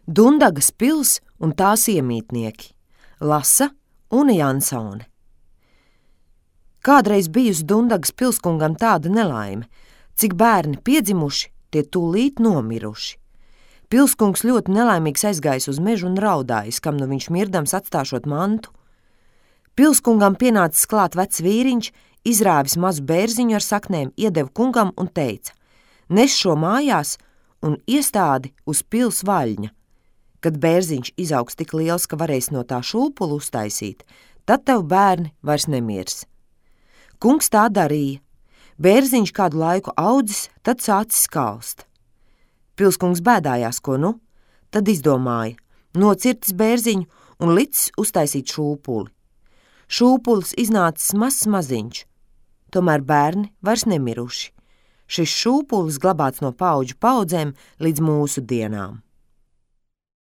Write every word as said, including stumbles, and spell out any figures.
Dundagas pils un tās iemītnieki. Lasa Une Jansone. Kādreiz bijusi Dundagas pilskungam tāda nelaime, cik bērni piedzimuši, tie tūlīt nomiruši. Pilskungs ļoti nelaimīgs aizgājis uz mežu un raudājis, kam nu viņš mirdams atstāšot mantu. Pilskungam pienācis klāt vecs vīriņš, izrāvis mazu bērziņu ar saknēm, iedeva kungam un teica: nes šo mājās un iestādi uz pils vaļņa. Kad bērziņš izaugs tik liels, ka varēs no tā šūpulu uztaisīt, tad tev bērni vairs nemirs. Kungs tā darīja. Bērziņš kādu laiku audzis, tad sācis kalst. Pilskungs bēdājās, ko nu? Tad izdomāja, nocirtis bērziņu un licis uztaisīt šūpuli. Šūpulis iznācis mazs maziņš, tomēr bērni vairs nemiruši. Šis šūpulis glabāts no paudžu paudzēm līdz mūsu dienām.